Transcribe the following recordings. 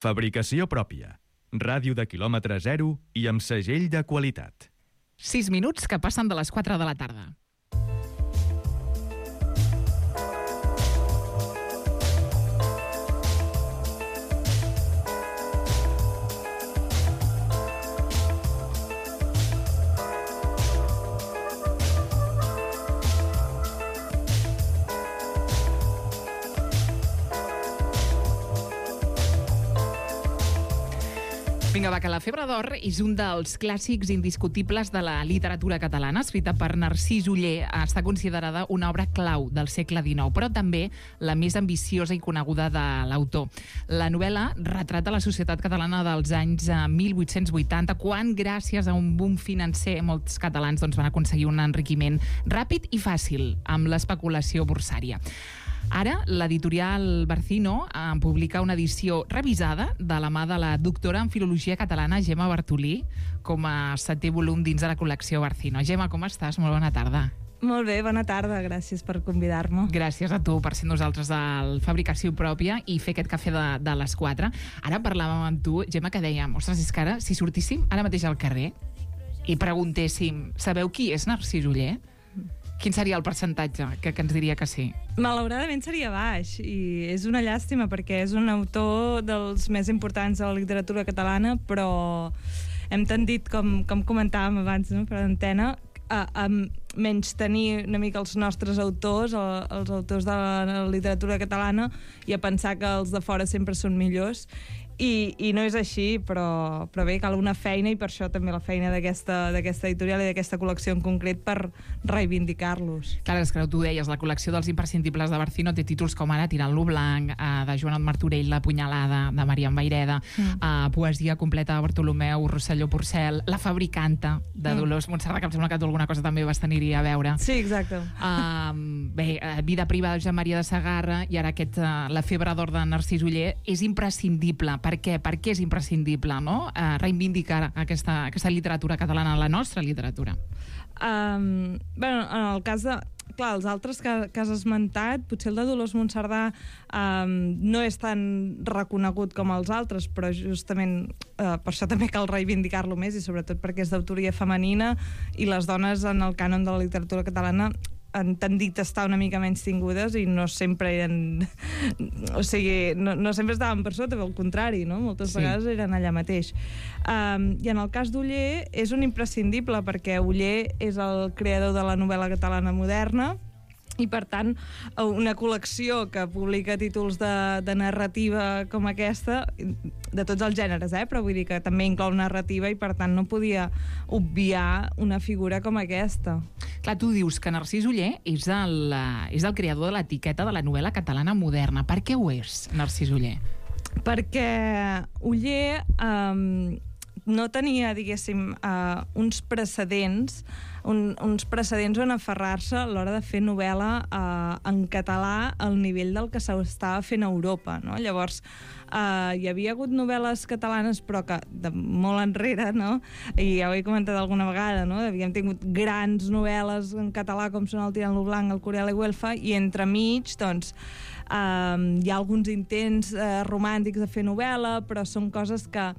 Fabricació pròpia. Ràdio de quilòmetre zero i amb segell de qualitat. 6 minuts que passen de les 4 de la tarda. Vinga, va, que La febre d'or és un dels clàssics indiscutibles de la literatura catalana, escrita per Narcís Oller. Està considerada una obra clau del segle XIX, però també la més ambiciosa i coneguda de l'autor. La novel·la retrata la societat catalana dels anys 1880, quan, gràcies a un boom financer, molts catalans van aconseguir un enriquiment ràpid i fàcil amb l'especulació borsària. Ara, l'editorial Barcino publica una edició revisada de la mà de la doctora en Filologia Catalana, Gemma Bartolí, com a 7è volum dins de la col·lecció Barcino. Gemma, com estàs? Molt bona tarda. Molt bé, bona tarda, gràcies per convidar-me. Gràcies a tu per ser nosaltres al Fabricació Pròpia i fer aquest cafè de les 4. Ara parlàvem amb tu, Gemma, que dèiem, ostres, és que ara, si sortíssim ara mateix al carrer i preguntéssim, sabeu qui és Narcís Oller? Quin seria el percentatge que ens diria que sí? Malauradament seria baix, i és una llàstima perquè és un autor dels més importants de la literatura catalana, però hem tendit, com comentàvem abans, no, per antena, a menys tenir una mica els nostres autors, els autors de la literatura catalana, i a pensar que els de fora sempre són millors. I no és així, però bé, cal una feina, i per això també la feina d'aquesta editorial i d'aquesta col·lecció en concret, per reivindicar-los. Clar, és que tu deies, la col·lecció dels imprescindibles de Barcino té títols com ara Tirant-lo blanc, de Joan Martorell, La punyalada, de Marian Vayreda, poesia completa de Bartolomeu Rosselló Porcel, La fabricanta, de Dolors Montserrat, que em sembla que tu alguna cosa també vas tenir-hi a veure. Sí, exacte. Bé, Vida privada de Joan Maria de Sagarra, i ara La febre d'or de Narcís Oller és imprescindible. Per què? Per què és imprescindible, no? Reivindicar aquesta literatura catalana, la nostra literatura. En el cas de... Clar, els altres que has esmentat, potser el de Dolors Montserrat no és tan reconegut com els altres, però justament per això també cal reivindicar-lo més, i sobretot perquè és d'autoria femenina, i les dones en el cànon de la literatura catalana han tendit a estar una mica menys tingudes, i no sempre eren... O sigui, no sempre estaven per sota, al contrari, no? Moltes vegades eren allà mateix. I en el cas d'Oller és un imprescindible, perquè Oller és el creador de la novel·la catalana moderna, i per tant una col·lecció que publica títols de narrativa com aquesta, de tots els gèneres, però vull dir que també inclou narrativa, i per tant no podia obviar una figura com aquesta. Clar, tu dius que Narcís Oller és el creador de l'etiqueta de la novel·la catalana moderna. Per què ho és, Narcís Oller? Perquè Oller no tenia, diguéssim, uns precedents on aferrar-se a l'hora de fer novel·la en català al nivell del que s'estava fent a Europa, no? Llavors, hi havia hagut novel·les catalanes, però que de molt enrere, no? I ja ho he comentat alguna vegada, no? Havíem tingut grans novel·les en català, com són el Tirant-lo blanc, el Curial i Güelfa, i entremig, doncs, hi ha alguns intents romàntics de fer novel·la, però són coses que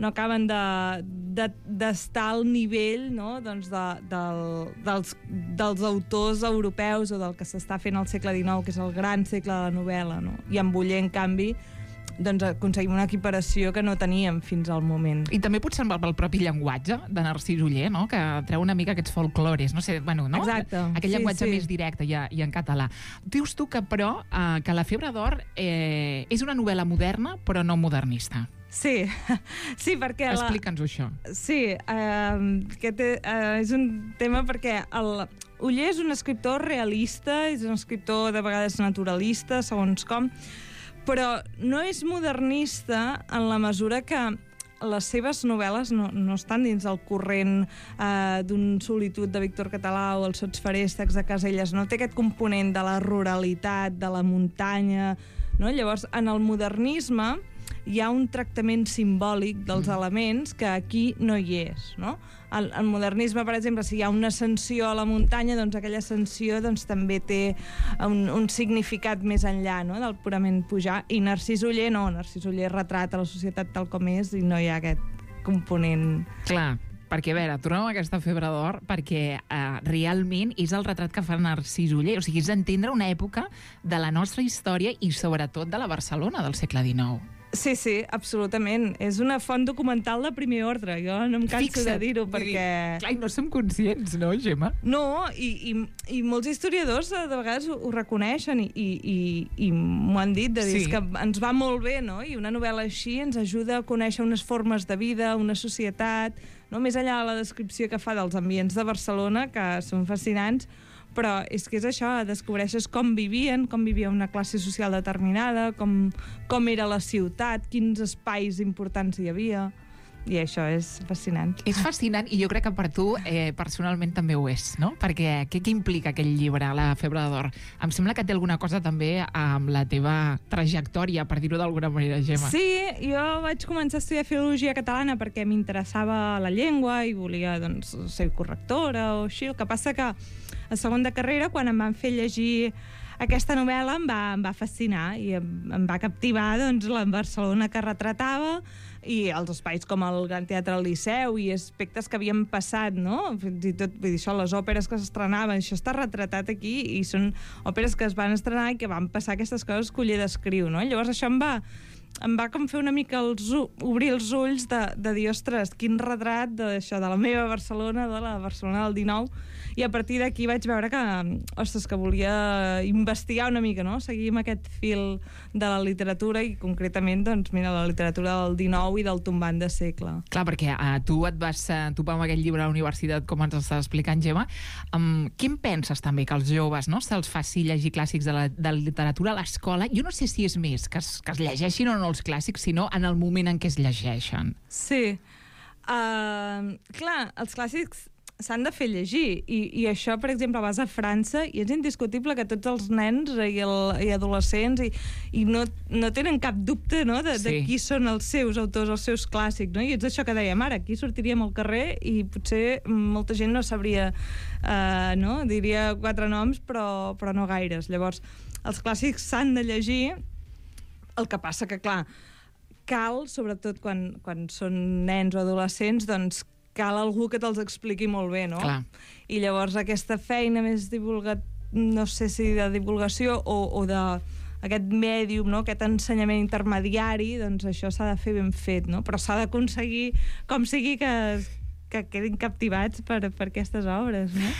no acaben d'estar al nivell, no? Doncs dels autors europeus, o del que s'està fent al segle XIX, que és el gran segle de la novel·la, no? I amb Oller, en canvi, doncs aconseguim una equiparació que no teníem fins al moment. I també potser amb el propi llenguatge de Narcís Oller, no? Que treu una mica aquests folclores, no sé, bueno, no? Exacte. Aquest llenguatge més directe i en català. Dius tu que, però, que La febre d'or és una novel·la moderna, però no modernista. Sí, perquè... Explica'ns-ho, això. Sí, aquest és un tema perquè Oller és un escriptor realista, és un escriptor de vegades naturalista, segons com, però no és modernista en la mesura que les seves novel·les no estan dins el corrent d'un Solitud de Víctor Català o els Sots Feréstecs de Caselles, no té aquest component de la ruralitat, de la muntanya, no? Llavors, en el modernisme hi ha un tractament simbòlic dels elements que aquí no hi és, no? El modernisme, per exemple, si hi ha una ascensió a la muntanya, doncs aquella ascensió doncs, també té un significat més enllà, no?, del purament pujar. I Narcís Oller no, Narcís Oller retrata la societat tal com és i no hi ha aquest component. Clar, perquè, a veure, tornem a aquesta febre d'or, perquè realment és el retrat que fa Narcís Oller. O sigui, és entendre una època de la nostra història i sobretot de la Barcelona del segle XIX. Sí, sí, absolutament. És una font documental de primer ordre. Jo no em canso de dir-ho, perquè... Clar, no som conscients, no, Gemma? No, i molts historiadors de vegades ho reconeixen i m'ho han dit, de dir que ens va molt bé, no? I una novel·la així ens ajuda a conèixer unes formes de vida, una societat, no? Més enllà de la descripció que fa dels ambients de Barcelona, que són fascinants, però és que és això, descobreixes com vivia una classe social determinada, com era la ciutat, quins espais importants hi havia, i això és fascinant. És fascinant, i jo crec que per tu personalment també ho és, no? Perquè què implica aquell llibre, La febre d'or? Em sembla que té alguna cosa també amb la teva trajectòria, per dir-ho d'alguna manera, Gemma. Sí, jo vaig començar a estudiar filologia catalana perquè m'interessava la llengua i volia, doncs, ser correctora o així. El que passa que a segon de carrera, quan em van fer llegir aquesta novel·la, em va fascinar i em va captivar, doncs, la Barcelona que retratava i els espais com el Gran Teatre del Liceu i aspectes que havien passat, no? Fins i tot, vull dir, això, les òperes que s'estrenaven, això està retratat aquí i són òperes que es van estrenar i que van passar aquestes coses que Oller descriu, no? Llavors això em va com fer una mica obrir els ulls de dir, ostres, quin retrat d'això, de la meva Barcelona, de la Barcelona del 19, i a partir d'aquí vaig veure que, ostres, que volia investigar una mica, no? Seguir amb aquest fil de la literatura i concretament, doncs, mira, la literatura del 19 i del tombant de segle. Clar, perquè tu et vas topar amb aquest llibre a la universitat, com ens estàs explicant, Gemma. Què en penses també que els joves, no, se'ls faci llegir clàssics de la literatura a l'escola? Jo no sé si és més que es llegeixin o no els clàssics, sinó en el moment en què es llegeixen. Sí. Clar, els clàssics s'han de fer llegir i això, per exemple, vas a França i és indiscutible que tots els nens i adolescents i no tenen cap dubte, no, de qui són els seus autors, els seus clàssics, no? I és això que dèiem ara, aquí sortiríem al carrer i potser molta gent no sabria, no? Diria 4 noms però no gaires. Llavors, els clàssics s'han de llegir, el que passa que, clar, cal, sobretot quan són nens o adolescents, doncs cal algú que te'ls expliqui molt bé, no? Clar. I llavors aquesta feina més no sé si de divulgació o d'aquest mèdium, no? Aquest ensenyament intermediari, doncs això s'ha de fer ben fet, no? Però s'ha d'aconseguir, com sigui, que quedin captivats per aquestes obres, no?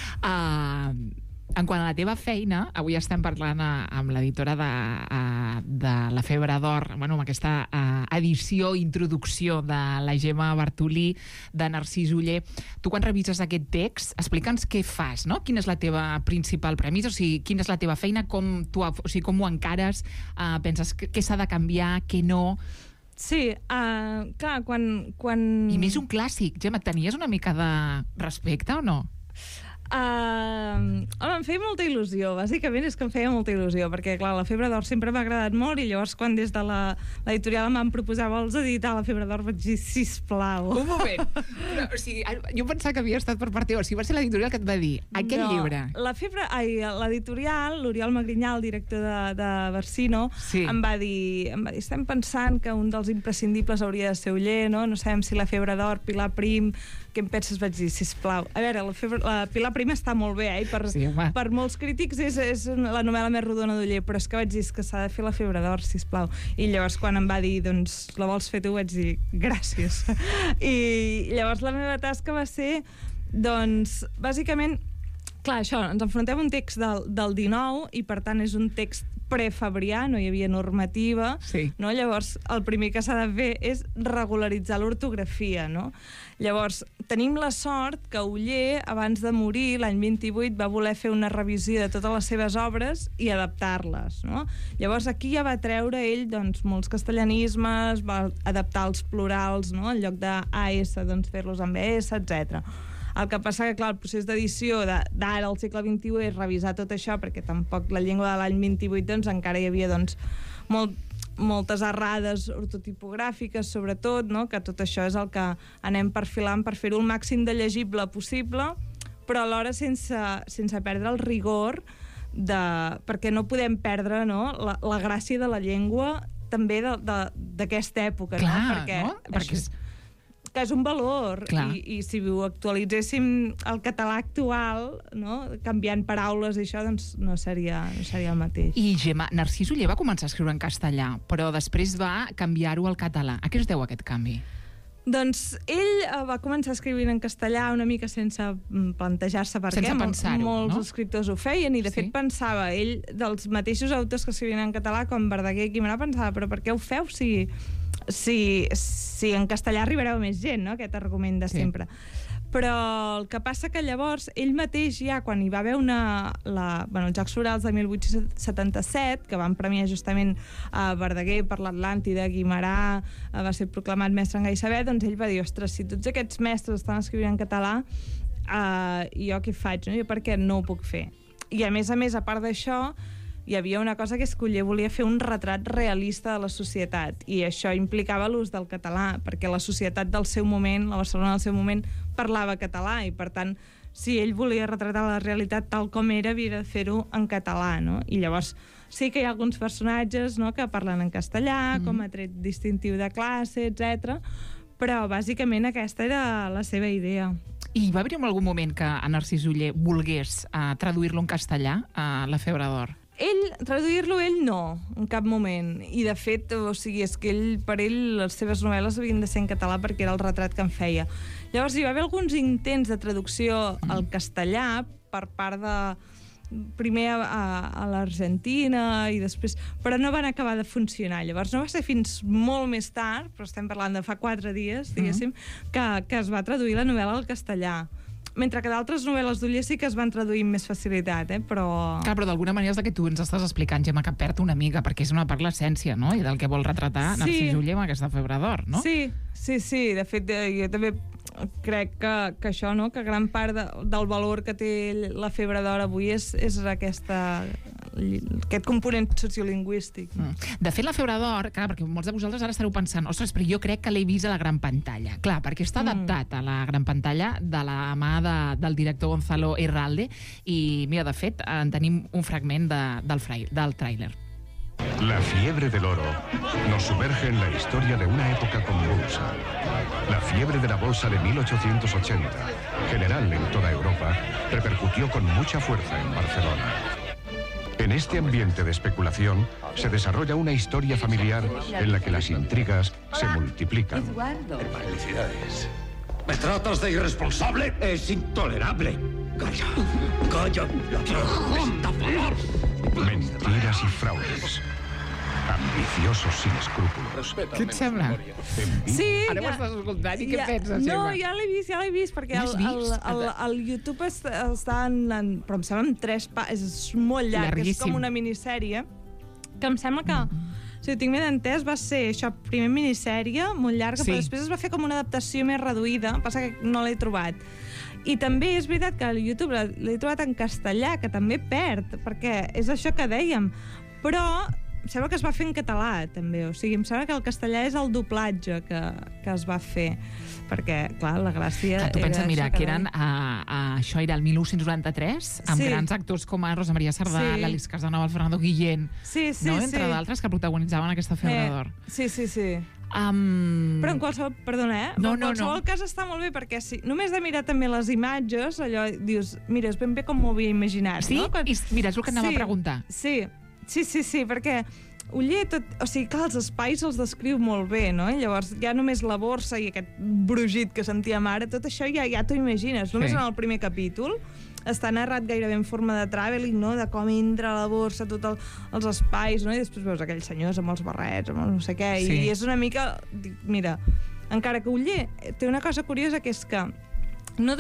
En quant a la teva feina, avui estem parlant amb l'editora de La febre d'or, bueno, amb aquesta edició, introducció de la Gemma Bartolí, de Narcís Oller. Tu, quan revises aquest text, explica'ns què fas, no? Quina és la teva principal premissa? O sigui, quina és la teva feina? Com ho encares? Penses què s'ha de canviar, què no? Sí, clar, quan... I més un clàssic. Gemma, tenies una mica de respecte o no? Home, em feia molta il·lusió, bàsicament és que em feia molta il·lusió, perquè clar, La febre d'or sempre m'ha agradat molt i llavors quan des de l'editorial em van proposar vols editar La febre d'or vaig dir sisplau. Un moment, però, o sigui, jo pensava que havia estat per part teva, o sigui, va ser l'editorial que et va dir aquest llibre. L'editorial, l'Oriol Magrinyà, el director de Barsino, em va dir, estem pensant que un dels imprescindibles hauria de ser Oller, no sabem si La febre d'or, Pilar Prim, què em penses? Vaig dir, sisplau. A veure, la Pilar Prim està molt bé, per molts crítics és la novel·la més rodona d'Oller, però és que vaig dir que s'ha de fer La febre d'or, sisplau. I llavors quan em va dir, doncs, la vols fer tu? Vaig dir, gràcies. I llavors la meva tasca va ser, doncs, bàsicament, clar, això, ens enfrontem a un text del 19 i per tant és un text prefabrià, no hi havia normativa, no? Llavors el primer que s'ha de fer és regularitzar l'ortografia, no? Llavors tenim la sort que Oller, abans de morir, l'any 28, va voler fer una revisió de totes les seves obres i adaptar-les, no? Llavors aquí ja va treure ell, doncs, molts castellanismes, va adaptar els plurals, no? En lloc d'AS, doncs fer-los amb ES, etc. El que passa que, clar, el procés d'edició d'ara al segle XXI és revisar tot això, perquè tampoc la llengua de l'any 28 doncs, encara hi havia doncs, moltes errades ortotipogràfiques, sobretot, no? Que tot això és el que anem perfilant per fer-ho el màxim de llegible possible, però alhora sense perdre el rigor, perquè no podem perdre, no? La gràcia de la llengua també d'aquesta època. Clar, no? Perquè que és un valor, i si ho actualitzéssim el català actual, no? Canviant paraules i això, doncs no seria el mateix. I Gemma, Narcís Oller va començar a escriure en castellà, però després va canviar-ho al català. A què es deu aquest canvi? Doncs ell va començar a escriure en castellà una mica sense plantejar-se per què. Molts escriptors ho feien, i de fet pensava, ell, dels mateixos autors que escrivien en català, com Verdaguer i Guimerà, pensava, però per què ho feu si en castellà arribareu més gent, no? Aquest argument de sempre. Però el que passa que llavors ell mateix ja, quan hi va haver els Jocs Florals de 1877, que van premiar justament Verdaguer per l'Atlàntida, Guimerà va ser proclamat mestre en gai saber, doncs ell va dir, ostres, si tots aquests mestres estan escrivint en català, jo què faig? No? Jo per què no ho puc fer? I a més, a part d'això, hi havia una cosa que és que Oller volia fer un retrat realista de la societat, i això implicava l'ús del català, perquè la societat del seu moment, la Barcelona del seu moment, parlava català, i per tant, si ell volia retratar la realitat tal com era, havia de fer-ho en català, no? I llavors sí que hi ha alguns personatges, no?, que parlen en castellà, com a tret distintiu de classe, etc. Però bàsicament aquesta era la seva idea. I va haver-hi en algun moment que a Narcís Oller volgués traduir-lo en castellà, a La febre d'or? Traduir-lo ell no, en cap moment. I de fet, o sigui, és que per ell les seves novel·les havien de ser en català perquè era el retrat que en feia. Llavors hi va haver alguns intents de traducció al castellà per part de primer a l'Argentina i després, però no van acabar de funcionar. Llavors no va ser fins molt més tard, però estem parlant de fa 4 dies, diguéssim, que es va traduir la novel·la al castellà. Mentre que d'altres novel·les d'Oller sí que es van traduir amb més facilitat, però... Clar, però d'alguna manera és el que tu ens estàs explicant, Gemma, que perd una mica, perquè és una part l'essència, no?, i del que vol retratar Narcís Oller amb aquesta febre d'or, no? Sí. De fet, jo també crec que això, no?, que gran part del valor que té la febre d'or avui és aquest component sociolingüístic. De fet, la febre d'or, clar, perquè molts de vosaltres ara estareu pensant, ostres, però jo crec que l'he vist a la gran pantalla. Clar, perquè està adaptat a la gran pantalla de la mà del director Gonzalo Herralde, i mira, de fet, en tenim un fragment del tràiler. La fiebre del oro nos sumerge en la historia de una época convulsa. La fiebre de la bolsa de 1880, general en toda Europa, repercutió con mucha fuerza en Barcelona. En este ambiente de especulación se desarrolla una historia familiar en la que las intrigas se multiplican. Felicidades. ¿Me tratas de irresponsable? Es intolerable. Calla, estafador. Mentiras y fraudes. Ambiciosos sin escrúpulos. Què et sembla? Sí. Ara ho estàs escoltant i què penses, Gemma? No, ja l'he vist, perquè al YouTube està però em sembla en 3 és molt llarg, és com una minissèrie, que em sembla que, si ho tinc ben entès, va ser això, primer minissèrie, molt llarga, però després es va fer com una adaptació més reduïda, passa que no l'he trobat. I també és veritat que a YouTube l'he trobat en castellà, que també perd, perquè és això que dèiem, però em sembla que es va fer en català, també. O sigui, em sembla que el castellà és el doblatge que es va fer, perquè, clar, la gràcia... Tu pensa, mira, que eren... Això era el 1993, amb grans actors com a Rosa Maria Sardà, l'Àlex Casanova, el Fernando Guillén, entre d'altres que protagonitzaven aquesta febre d'or. Sí. Però en qualsevol... Perdona, en qualsevol cas està molt bé, perquè només de mirar també les imatges, allò dius, mira, és ben bé com m'ho havia imaginat. Sí? Mira, és el que anava a preguntar. Sí, perquè Oller, o sigui, clar, els espais els descriu molt bé, no? I llavors ja només la borsa i aquest brugit que sentíem ara, tot això ja t'ho imagines. Només en el primer capítol està narrat gairebé en forma de travelling, no?, de com entra a la borsa, tots els espais, no?, i després veus aquells senyors amb els barrets, amb no sé què, i és una mica... Mira, encara que Oller té una cosa curiosa, que és que no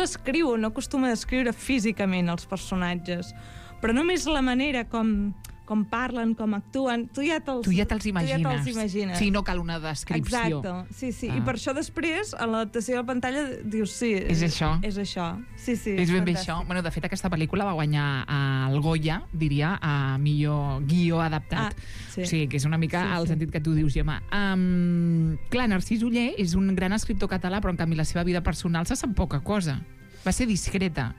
acostuma a descriure físicament els personatges, però només la manera com com parlen, com actuen, tu ja te'ls imagines. Sí, no cal una descripció. Exacte, sí. I per això després, a l'adaptació de la pantalla, dius, sí, és això. És això. Sí, és ben bé això. Bueno, de fet, aquesta pel·lícula va guanyar el Goya, diria, a millor guió adaptat. Sí. O sigui, que és una mica el sentit que tu dius, Gemma. Clar, Narcís Oller és un gran escriptor català, però en canvi la seva vida personal se sap poca cosa. Va ser discreta.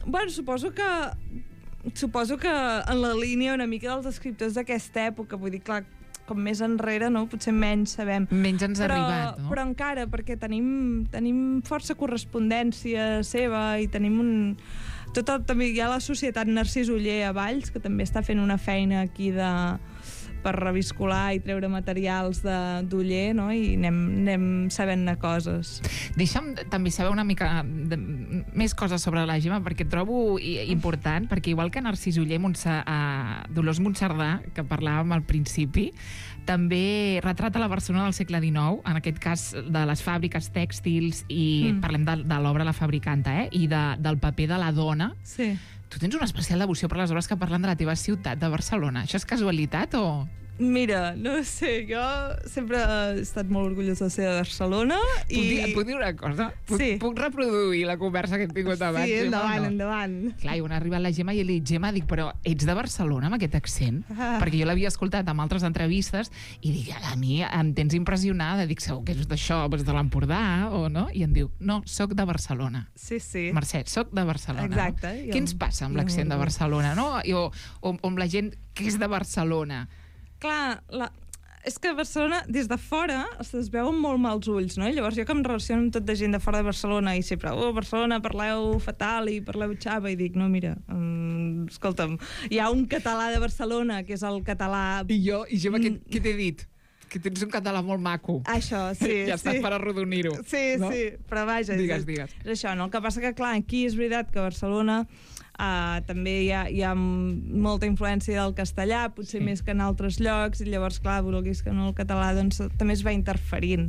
Bueno, suposo que en la línia una mica dels escriptors d'aquesta època, vull dir, clar, com més enrere, no? Potser menys sabem. Menys ens ha arribat, no? Però encara, perquè tenim força correspondència seva i tenim també hi ha la Societat Narcís Oller a Valls, que també està fent una feina aquí per reviscolar i treure materials d'Oller, no? I anem sabent-ne coses. Deixa'm també saber una mica més coses sobre la Gemma, perquè trobo important, perquè igual que Narcís Oller, Dolors Monserdà, que parlàvem al principi, també retrata la Barcelona del segle XIX, en aquest cas de les fàbriques tèxtils, i parlem de l'obra La Fabricanta, i del paper de la dona. Sí. Tu tens una especial devoció per les obres que parlen de la teva ciutat, de Barcelona. Això és casualitat o...? Mira, no sé, jo sempre he estat molt orgullosa de ser de Barcelona i... Puc dir una cosa? Sí. Puc reproduir la conversa que hem tingut abans? Sí, endavant. Clar, on ha arribat la Gemma i li dic, Gemma, però ets de Barcelona amb aquest accent? Perquè jo l'havia escoltat en altres entrevistes i dic, a mi em tens impressionada. Dic, segur que és d'això, de l'Empordà, o no? I em diu, no, soc de Barcelona. Sí. Mercè, soc de Barcelona. Exacte. No? Què ens passa amb l'accent de Barcelona, no? O amb la gent que és de Barcelona? Clar, és que a Barcelona, des de fora, es veuen molt mals ulls, no? I llavors jo que em relaciono amb tot de gent de fora de Barcelona i sempre, Barcelona, parleu fatal i parleu xava, i dic, no, mira, escolta'm, hi ha un català de Barcelona, que és el català... I Gemma, què t'he dit? Que tens un català molt maco. Això, sí. Ja està per arrodonir-ho. Sí, no? sí, però vaja. Digues. És això, no? El que passa que, clar, aquí és veritat que a Barcelona també hi ha molta influència del castellà, potser més que en altres llocs, i llavors, clar, vulguis que no, el català doncs, també es va interferint.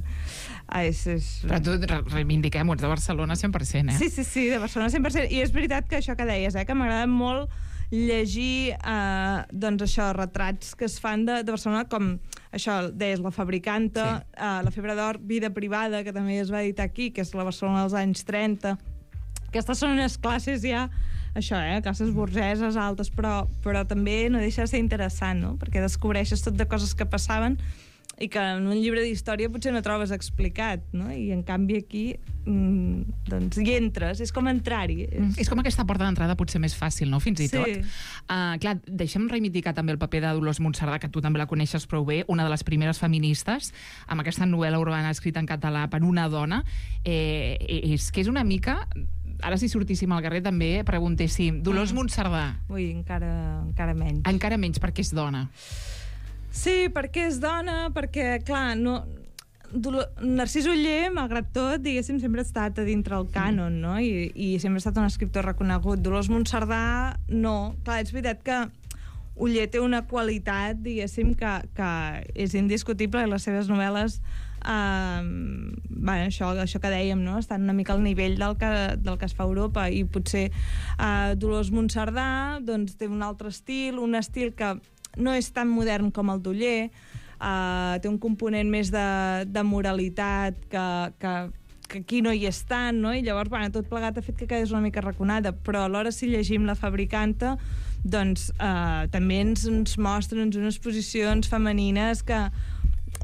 Però tu reivindiquem, ets de Barcelona 100%, eh? Sí, de Barcelona 100%. I és veritat que això que deies, que m'agrada molt llegir doncs això, retrats que es fan de Barcelona, com això, deies, La Fabricanta, La Febre d'Or, Vida Privada, que també es va editar aquí, que és la Barcelona dels anys 30. Aquestes són unes classes ja, això, classes burgeses altes, però també no deixa de ser interessant, no? Perquè descobreixes tot de coses que passaven i que en un llibre d'història potser no trobes explicat, no? I en canvi aquí doncs hi entres, és com entrar-hi. És com aquesta porta d'entrada potser més fàcil, no? Fins i tot. Clar, deixem reivindicar també el paper de Dolors Monserdà, que tu també la coneixes prou bé, una de les primeres feministes, amb aquesta novel·la urbana escrita en català per una dona. És que és una mica... Ara si sortíssim al carrer també preguntéssim Dolors Monserdà. Ui, encara menys. Encara menys perquè és dona. Sí, perquè és dona, perquè, clar, no... Narcís Oller, malgrat tot, diguéssim, sempre ha estat a dintre el cànon, no? I sempre ha estat un escriptor reconegut. Dolors Monserdà, no. Clar, és veritat que Oller té una qualitat, diguéssim, que és indiscutible, i les seves novel·les això que dèiem, no? Estan una mica al nivell del que es fa a Europa, i potser Dolors Monserdà doncs, té un altre estil, un estil que no és tan modern com el d'Oller, té un component més de moralitat que aquí no hi és tant, no? I llavors, tot plegat ha fet que quedés una mica raconada, però alhora si llegim La Fabricanta doncs també ens mostren unes posicions femenines que,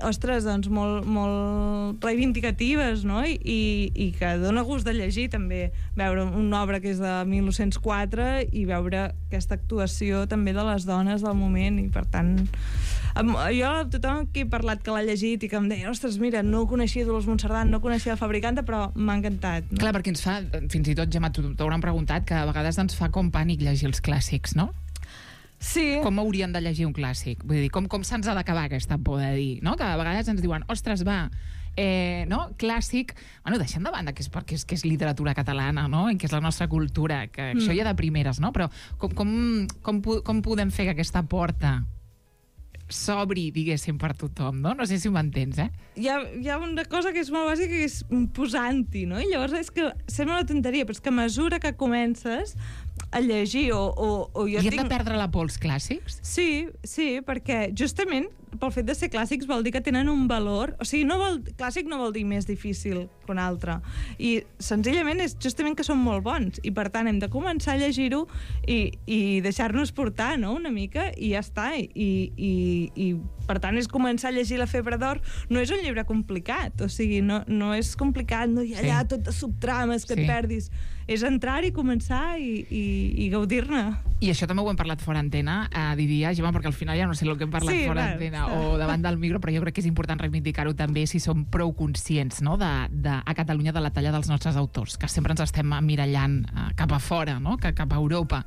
ostres, doncs molt reivindicatives, no? I que dona gust de llegir també, veure una obra que és de 1904 i veure aquesta actuació també de les dones del moment, i per tant jo, tothom que he parlat que l'ha llegit i que em deia, ostres, mira, no coneixia Dolors Monserdà, no coneixia La Fabricanta, però m'ha encantat, no? Clar, perquè ens fa, fins i tot, Gemma, t'hauran preguntat que a vegades ens fa com pànic llegir els clàssics, no? Sí. Com hauríem de llegir un clàssic? Vull dir, com se'ns ha d'acabar aquesta por de dir, no? Que a vegades ens diuen, ostres, va, no? Clàssic, bueno, deixem de banda que és literatura catalana, no? I que és la nostra cultura, que això ja de primeres, no? Però com podem fer que aquesta porta sobri, diguéssim, per tothom, no? No sé si m'entens, Hi ha una cosa que és molt bàsica, que és posant-hi, no? I llavors és que sembla una tonteria, però és que a mesura que comences a llegir o jo I hem de perdre la por als clàssics? Sí, perquè justament pel fet de ser clàssics vol dir que tenen un valor... O sigui, clàssic no vol dir més difícil que un altre. I senzillament és justament que són molt bons. I per tant hem de començar a llegir-ho i deixar-nos portar, no?, una mica, i ja està. I per tant és començar a llegir La febre d'or. No és un llibre complicat, o sigui, no és complicat, no hi ha allà tot de subtrames que et perdis. És entrar i començar i gaudir-ne. I això també ho hem parlat fora antena, diria, Gemma, perquè al final ja no sé el que hem parlat fora antena o davant del micro, però jo crec que és important reivindicar-ho també si som prou conscients, no?, a Catalunya de la talla dels nostres autors, que sempre ens estem emmirallant cap a fora, no?, cap a Europa.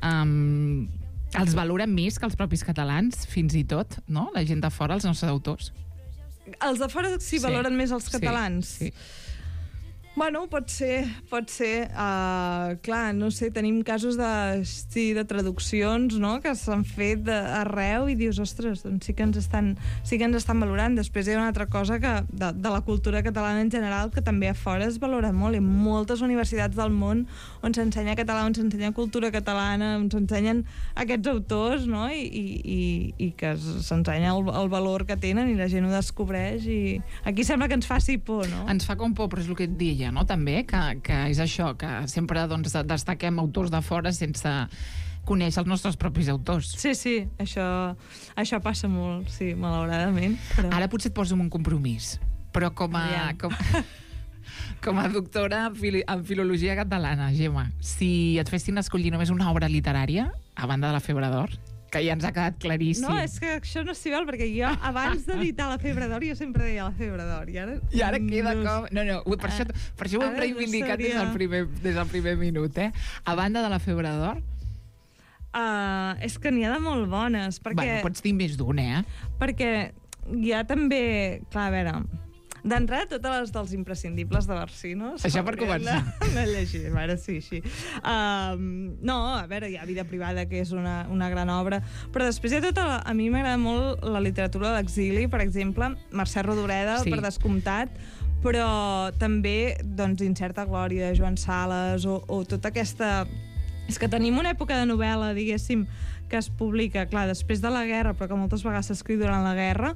Els valorem més que els propis catalans, fins i tot, no?, la gent de fora, els nostres autors. Els de fora sí valoren més els catalans? Sí. Bueno, pot ser. Clar, no sé, tenim casos de traduccions, no?, que s'han fet arreu i dius, ostres, doncs sí que ens estan valorant. Després hi ha una altra cosa que de la cultura catalana en general, que també a fora es valora molt. Hi ha moltes universitats del món on s'ensenya català, on s'ensenya cultura catalana, on s'ensenyen aquests autors, no?, i que s'ensenya el valor que tenen i la gent ho descobreix, i aquí sembla que ens faci por, no? Ens fa com por, però és el que et deia, no?, també, que és això, que sempre doncs, destaquem autors de fora sense conèixer els nostres propis autors. Sí, això passa molt, sí, malauradament. Però... Ara potser et poso en un compromís, però com a doctora en filologia catalana, Gemma, si et fessin escollir només una obra literària, a banda de La febre d'or, que ja ens ha quedat claríssim. No, és que això no s'hi val, perquè jo, abans d'editar La febre d'or, jo sempre deia La febre d'or, i ara queda com... No, per això ho hem reivindicat des del primer minut, A banda de La febre d'or... És que n'hi ha de molt bones, perquè... Bueno, pots dir més d'una, Perquè hi ha també... Clar, a veure... D'entrada, totes les dels imprescindibles de Barcino. Això per començar. No llegir, ara sí. No, a veure, hi ha Vida privada, que és una gran obra, però després hi ha tota... A mi m'agrada molt la literatura de l'exili, per exemple, Mercè Rodoreda, per descomptat, però també, doncs, Incerta glòria, Joan Sales, o tota aquesta... És que tenim una època de novel·la, diguéssim, que es publica, clar, després de la guerra, però que moltes vegades s'escriu durant la guerra,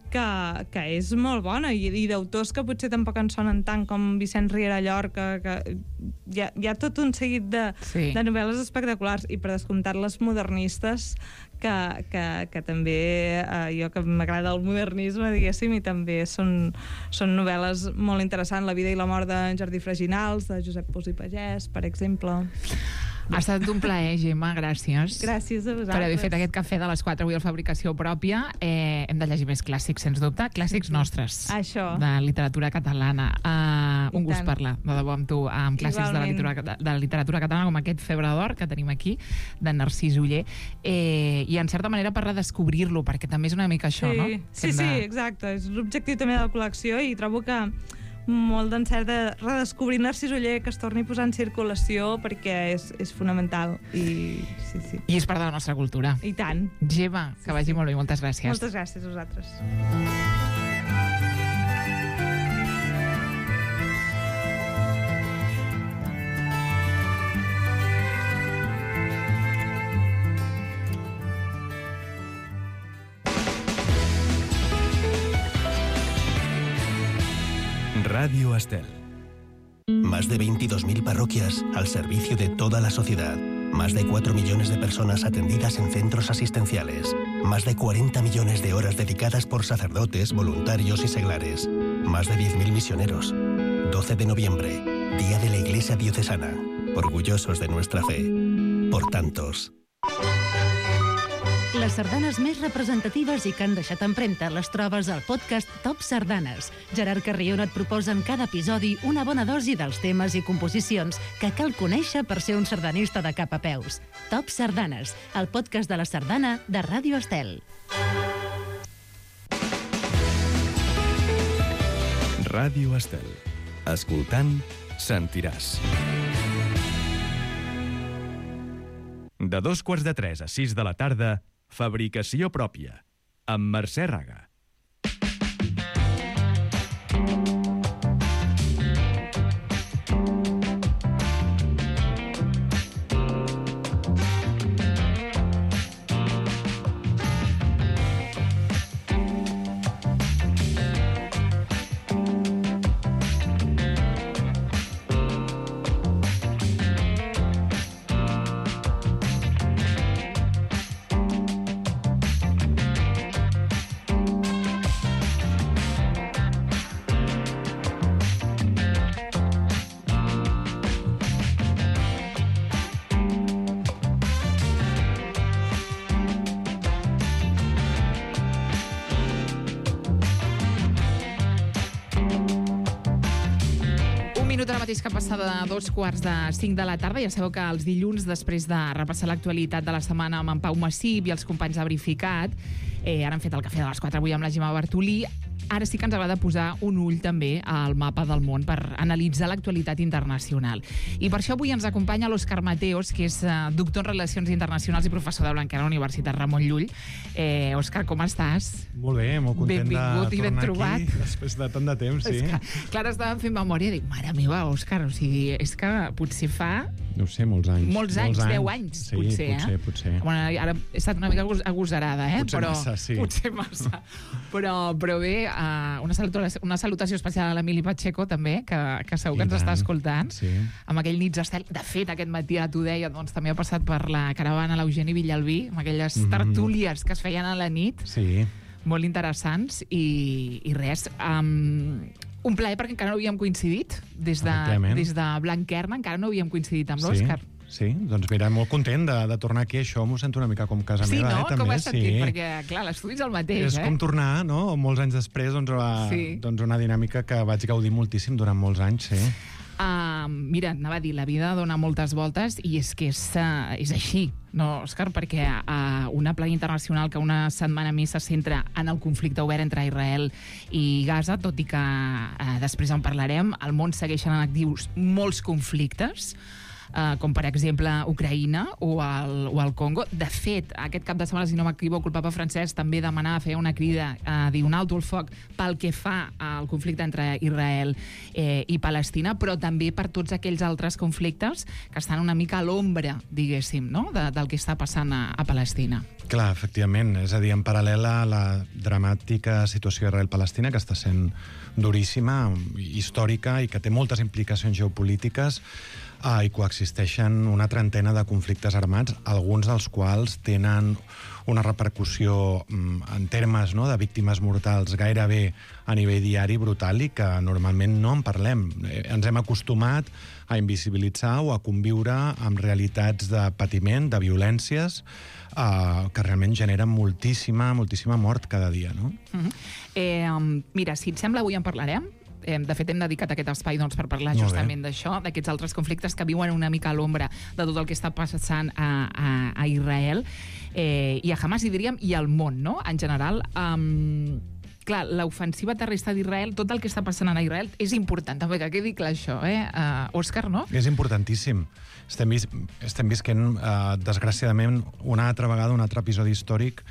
que és molt bona, i d'autors que potser tampoc en sonen tant, com Vicenç Riera Llorca, que hi ha tot un seguit de novel·les espectaculars, i per descomptat les modernistes, que també jo que m'agrada el modernisme, diguéssim, i també són novel·les molt interessants. La vida i la mort de Jardí Freginals, de Josep Pous i Pagès, per exemple. Ha estat un plaer, Gemma, gràcies. Gràcies a vosaltres. Per haver fet aquest cafè de les 4 avui a Fabricació Pròpia. Hem de llegir més clàssics, sens dubte. Clàssics nostres. Això. De literatura catalana. Un gust parlar, de debò, amb tu, amb clàssics de la literatura catalana, com aquest Febre d'Or que tenim aquí, de Narcís Oller. I en certa manera per redescobrir-lo, perquè també és una mica això, no? Sí, exacte. És l'objectiu també de la col·lecció, i trobo que molt d'encert de redescobrir Narcís Oller, que es torni a posar en circulació, perquè és fonamental. I és part de la nostra cultura. I tant. Gemma, que vagi molt bé, moltes gràcies. Moltes gràcies a vosaltres. Radio Estel. Más de 22.000 parroquias al servicio de toda la sociedad. Más de 4 millones de personas atendidas en centros asistenciales. Más de 40 millones de horas dedicadas por sacerdotes, voluntarios y seglares. Más de 10.000 misioneros. 12 de noviembre, Día de la Iglesia Diocesana. Orgullosos de nuestra fe. Por tantos. Les sardanes més representatives i que han deixat empremta les trobes al podcast Top Sardanes. Gerard Carrion et proposa en cada episodi una bona dosi dels temes i composicions que cal conèixer per ser un sardanista de cap a peus. Top Sardanes, el podcast de la sardana de Ràdio Estel. Ràdio Estel. Escoltant, sentiràs. De 2:45 a 6 de la tarda, Fabricació Pròpia, amb Mercè Raga. Que passa de 2:45 de la tarda. Ja sabeu que els dilluns, després de repassar l'actualitat de la setmana amb en Pau Massip i els companys de Verificat, ara han fet el cafè de les 4 avui amb la Gemma Bartolí. Ara sí que ens agrada posar un ull també al mapa del món per analitzar l'actualitat internacional. I per això avui ens acompanya l'Òscar Mateos, que és doctor en Relacions Internacionals i professor de Blanquer a la Universitat Ramon Llull. Òscar, com estàs? Molt bé, molt content Benvingut de i ben tornar trobat. aquí després de tant de temps, sí. És que, clar, estàvem fent memòria i dic, mare meva, Òscar, o sigui, és que potser fa... No sé, molts anys. Molts anys, 10 anys, sí, potser. Bueno, ara he estat una mica agosarada, Potser massa, sí. Potser massa. Però bé, una salutació especial a l'Emili Pacheco, també, que segur que ens està escoltant. Sí. Amb aquell nits d'estel. De fet, aquest matí, ara t'ho deia, doncs també ha passat per la caravana l'Eugeni Villalbí, amb aquelles tertúlies que es feien a la nit. Sí. Molt interessants. I res... un plaer perquè encara no havíem coincidit. Des de Blanquerna encara no havíem coincidit amb l'Òscar. Sí, doncs mira, molt content de tornar aquí. Això m'ho sento una mica com casa meva, no? també. Com has sentit? Perquè, clar, l'estudi és el mateix, És com tornar, no? Molts anys després, doncs una dinàmica que vaig gaudir moltíssim durant molts anys, sí. Mira, anava a dir, la vida dona moltes voltes i és que és així, no, Òscar? Perquè una plana internacional que una setmana més se centra en el conflicte obert entre Israel i Gaza, tot i que després en parlarem, al món segueixen en actius molts conflictes, com per exemple Ucraïna o el Congo. De fet, aquest cap de setmana, si no m'equivoco, el papa Francesc també demanava, feia una crida a dir un alto el foc pel que fa al conflicte entre Israel i Palestina, però també per tots aquells altres conflictes que estan una mica a l'ombra, diguéssim, no? Del que està passant a Palestina. Clar, efectivament. És a dir, en paral·lel a la dramàtica situació Israel-Palestina, que està sent duríssima, històrica i que té moltes implicacions geopolítiques, i coexisteixen una trentena de conflictes armats, alguns dels quals tenen una repercussió en termes de víctimes mortals gairebé a nivell diari brutal i que normalment no en parlem. Ens hem acostumat a invisibilitzar o a conviure amb realitats de patiment, de violències, que realment generen moltíssima mort cada dia, no? Mira, si et sembla, avui en parlarem. De fet, hem dedicat aquest espai per parlar justament d'això, d'aquests altres conflictes que viuen una mica a l'ombra de tot el que està passant a Israel i a Hamas, diríem, i al món, no?, en general. Clar, l'ofensiva terrestre d'Israel, tot el que està passant a Israel és important, també que quedi clar això, Òscar, no? És importantíssim. Estem visquent, desgraciadament, una altra vegada, un altre episodi històric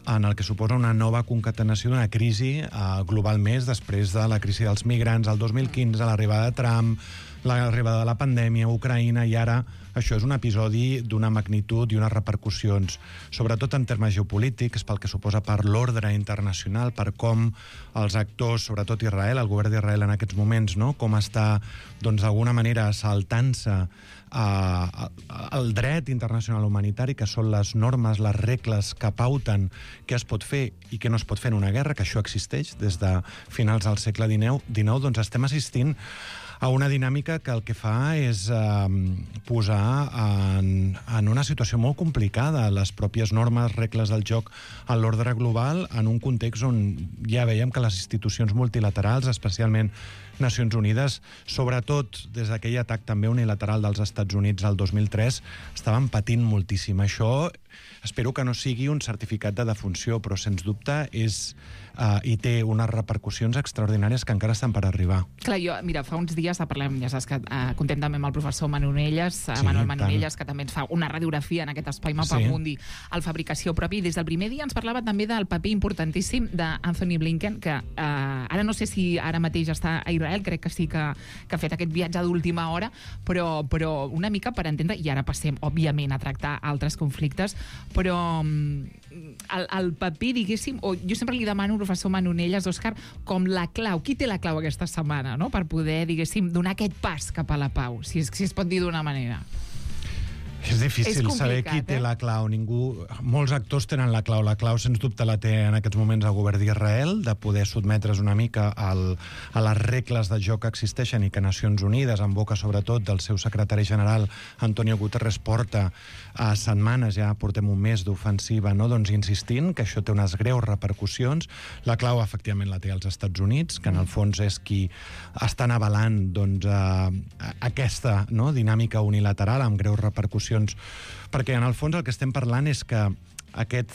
en el que suposa una nova concatenació d'una crisi global més després de la crisi dels migrants, el 2015, l'arribada de Trump, l'arribada de la pandèmia, Ucraïna, i ara això és un episodi d'una magnitud i unes repercussions, sobretot en termes geopolítics, pel que suposa per l'ordre internacional, per com els actors, sobretot Israel, el govern d'Israel en aquests moments, no?, com està, doncs, d'alguna manera saltant-se el dret internacional humanitari, que són les normes, les regles que pauten què es pot fer i què no es pot fer en una guerra, que això existeix des de finals del segle XIX, doncs estem assistint a una dinàmica que el que fa és posar en una situació molt complicada les pròpies normes, regles del joc en l'ordre global, en un context on ja veiem que les institucions multilaterals, especialment Nacions Unides, sobretot des d'aquell atac també unilateral dels Estats Units al 2003, estaven patint moltíssim. Això espero que no sigui un certificat de defunció, però sens dubte i té unes repercussions extraordinàries que encara estan per arribar. Clar, jo, mira, fa uns dies parlem, ja saps que contem també amb el professor Manonelles, Manuel Manonelles, que també ens fa una radiografia en aquest espai Mapamundi, el Fabricació Propi, i des del primer dia ens parlava també del paper importantíssim d'Anthony Blinken, que ara no sé si ara mateix està a Israel, crec que sí que ha fet aquest viatge d'última hora, però una mica per entendre, i ara passem, òbviament, a tractar altres conflictes, però el paper, diguéssim, o jo sempre li demano al professor Manonelles, Òscar, com la clau, qui té la clau aquesta setmana, no?, per poder, diguéssim, donar aquest pas cap a la pau, si es pot dir d'una manera. És difícil saber qui té la clau. Molts actors tenen la clau. La clau, sens dubte, la té en aquests moments el govern d'Israel, de poder sotmetre's una mica a les regles de joc que existeixen i que Nacions Unides, en boca sobretot del seu secretari general, Antonio Guterres, porta setmanes, ja portem un mes d'ofensiva, no? Doncs insistint que això té unes greus repercussions. La clau, efectivament, la té als Estats Units, que en el fons és qui estan avalant aquesta dinàmica unilateral amb greus repercussions, perquè en el fons el que estem parlant és que aquest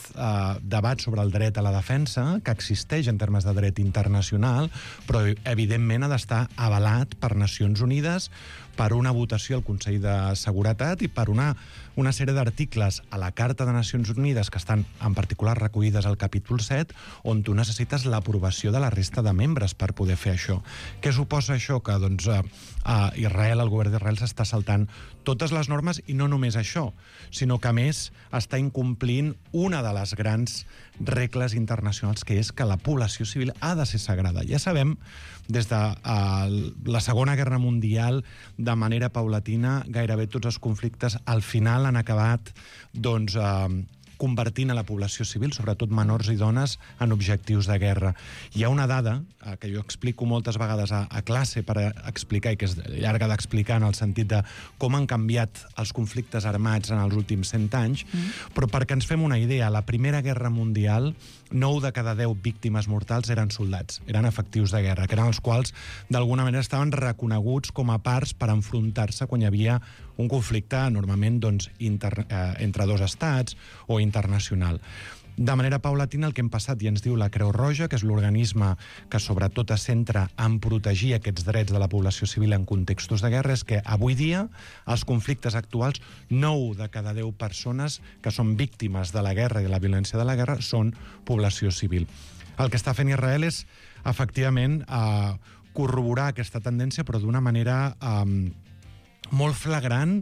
debat sobre el dret a la defensa, que existeix en termes de dret internacional, però evidentment ha d'estar avalat per Nacions Unides, per una votació al Consell de Seguretat i per una sèrie d'articles a la Carta de Nacions Unides que estan en particular recollides al capítol 7, on tu necessites l'aprovació de la resta de membres per poder fer això. Què suposa això? Que doncs, Israel, el govern d'Israel, s'està saltant totes les normes, i no només això, sinó que a més està incomplint una de les grans regles internacionals, que és que la població civil ha de ser sagrada. Ja sabem, des de la Segona Guerra Mundial, de manera paulatina, gairebé tots els conflictes al final han acabat convertint a la població civil, sobretot menors i dones, en objectius de guerra. Hi ha una dada que jo explico moltes vegades a classe per explicar, i que és llarga d'explicar en el sentit de com han canviat els conflictes armats en els últims 100 anys, però perquè ens fem una idea, a la Primera Guerra Mundial, 9 de cada 10 víctimes mortals eren soldats, eren efectius de guerra, que eren els quals d'alguna manera estaven reconeguts com a parts per enfrontar-se quan hi havia un conflicte normalment entre dos estats o internacional. De manera paulatina, el que hem passat, i ens diu la Creu Roja, que és l'organisme que sobretot es centra en protegir aquests drets de la població civil en contextos de guerra, és que avui dia els conflictes actuals, 9 de cada 10 persones que són víctimes de la guerra i de la violència de la guerra són població civil. El que està fent Israel és, efectivament, corroborar aquesta tendència, però d'una manera molt flagrant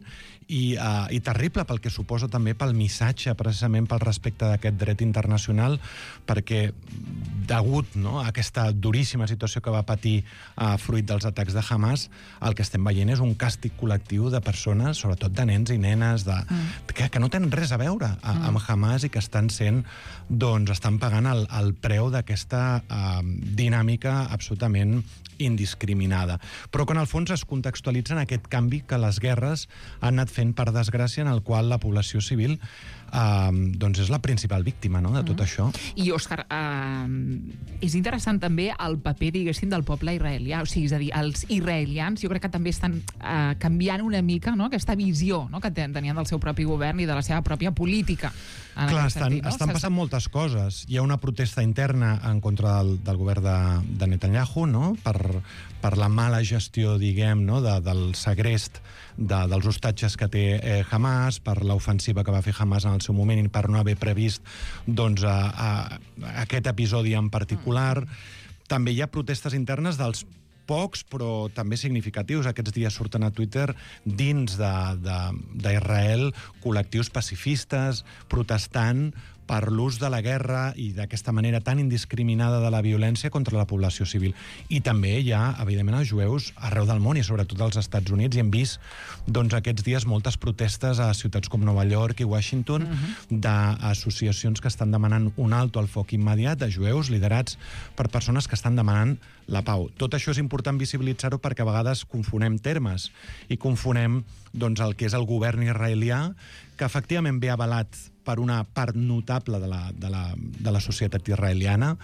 i terrible, pel que suposa també pel missatge, precisament pel respecte d'aquest dret internacional, perquè degut a aquesta duríssima situació que va patir fruit dels atacs de Hamas, el que estem veient és un càstig col·lectiu de persones, sobretot de nens i nenes, que no tenen res a veure amb Hamas i que estan pagant el preu d'aquesta dinàmica absolutament indiscriminada. Però que en el fons es contextualitza en aquest canvi que les guerres han anat fent, per desgràcia, en el qual la població civil és la principal víctima de tot això. I, Òscar, és interessant també el paper, diguéssim, del poble israelià. O sigui, és a dir, els israelians jo crec que també estan canviant una mica aquesta visió que tenien del seu propi govern i de la seva pròpia política. Clar, estan passant moltes coses. Hi ha una protesta interna en contra del govern de Netanyahu, per la mala gestió, diguem, del segrest dels hostatges que té Hamas, per l'ofensiva que va fer Hamas en el seu moment i per no haver previst aquest episodi en particular. També hi ha protestes internes dels pocs, però també significatius. Aquests dies surten a Twitter, dins d'Israel, col·lectius pacifistes protestant per l'ús de la guerra i d'aquesta manera tan indiscriminada de la violència contra la població civil. I també hi ha, evidentment, els jueus arreu del món i sobretot als Estats Units, i hem vist aquests dies moltes protestes a ciutats com Nova York i Washington d'associacions que estan demanant un alto al foc immediat, de jueus liderats per persones que estan demanant la pau. Tot això és important visibilitzar-ho perquè a vegades confonem termes i confonem el que és el govern israelià, que efectivament ve avalat per una part notable de la societat israeliana,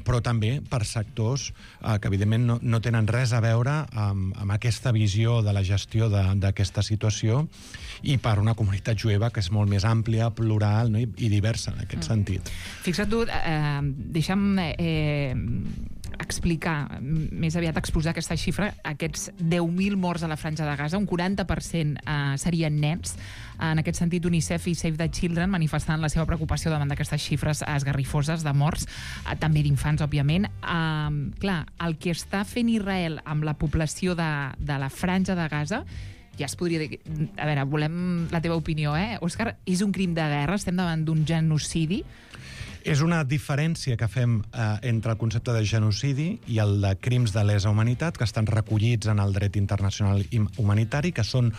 però també per sectors que evidentment no tenen res a veure amb aquesta visió de la gestió d'aquesta situació, i per una comunitat jueva que és molt més àmplia, plural, no? I diversa en aquest sentit. Fixa't tu, deixa'm explicar, més aviat exposar aquesta xifra, aquests 10.000 morts a la Franja de Gaza, un 40% serien nens. En aquest sentit, UNICEF i Save the Children manifestant la seva preocupació davant d'aquestes xifres esgarrifoses de morts, també d'infants, òbviament. Clar, el que està fent Israel amb la població de la Franja de Gaza, ja es podria dir... A veure, volem la teva opinió, Òscar? És un crim de guerra? Estem davant d'un genocidi? És una diferència que fem entre el concepte de genocidi i el de crims de lesa humanitat, que estan recollits en el dret internacional humanitari, que són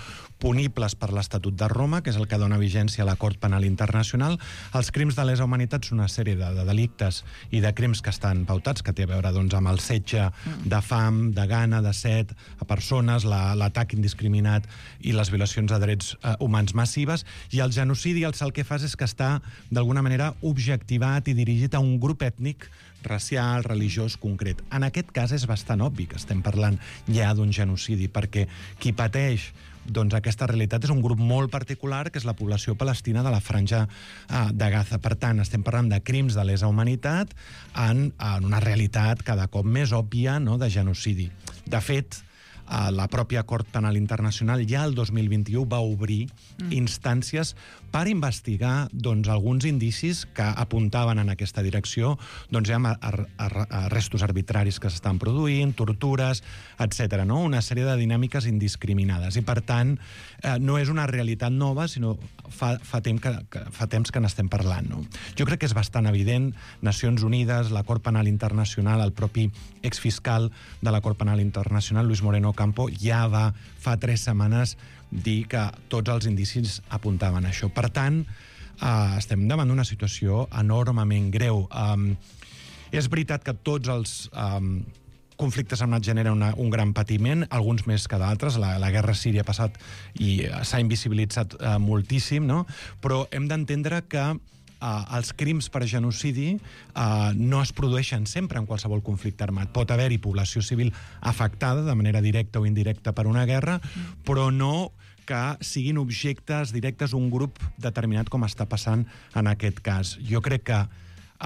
punibles per l'Estatut de Roma, que és el que dona vigència a la Cort Penal Internacional. Els crims de lesa humanitat són una sèrie de delictes i de crims que estan pautats, que té a veure amb el setge de fam, de gana, de set a persones, l'atac indiscriminat i les violacions de drets humans massives. I el genocidi el que fas és que està, d'alguna manera, objectivat i dirigit a un grup ètnic, racial, religiós, concret. En aquest cas és bastant obvi que estem parlant ja d'un genocidi, perquè qui pateix aquesta realitat és un grup molt particular, que és la població palestina de la Franja de Gaza. Per tant, estem parlant de crims de lesa humanitat en una realitat cada cop més òbvia, no?, de genocidi. De fet, la pròpia Cort Penal Internacional ja el 2021 va obrir instàncies per investigar alguns indicis que apuntaven en aquesta direcció, arrestos arbitraris que s'estan produint, tortures, etc. No? Una sèrie de dinàmiques indiscriminades. I, per tant, no és una realitat nova, sinó fa temps que n'estem parlant. No? Jo crec que és bastant evident. Nacions Unides, la Cort Penal Internacional, el propi exfiscal de la Cort Penal Internacional, Luis Moreno Ocampo, ja va fa 3 setmanes dir que tots els indicis apuntaven a això. Per tant, estem davant d'una situació enormement greu. És veritat que tots els conflictes armats generen un gran patiment, alguns més que d'altres. La guerra a Síria ha passat i s'ha invisibilitzat moltíssim, no? Però hem d'entendre que els crims per genocidi no es produeixen sempre en qualsevol conflicte armat. Pot haver-hi població civil afectada de manera directa o indirecta per una guerra, però no que siguin objectes directes un grup determinat, com està passant en aquest cas. Jo crec que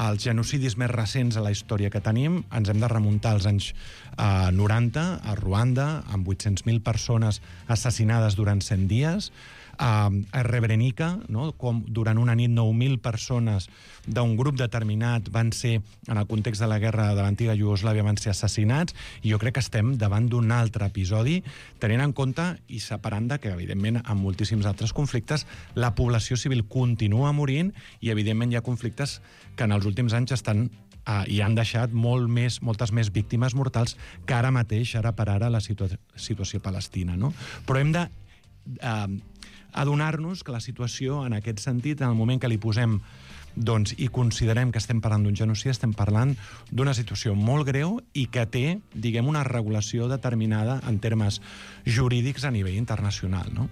els genocidis més recents a la història que tenim ens hem de remuntar als anys 90, a Ruanda, amb 800.000 persones assassinades durant 100 dies, a Srebrenica, no? Com durant una nit 9.000 persones d'un grup determinat van ser, en el context de la guerra de l'antiga Iugoslàvia, van ser assassinats, i jo crec que estem davant d'un altre episodi, tenint en compte i separant de que, evidentment, en moltíssims altres conflictes, la població civil continua morint, i, evidentment, hi ha conflictes que en els últims anys i han deixat moltes més víctimes mortals que ara mateix, ara per ara, la situació palestina. No? Però hem de adonar-nos que la situació, en aquest sentit, en el moment que li posem i considerem que estem parlant d'un genocidi, estem parlant d'una situació molt greu i que té, diguem, una regulació determinada en termes jurídics a nivell internacional, no?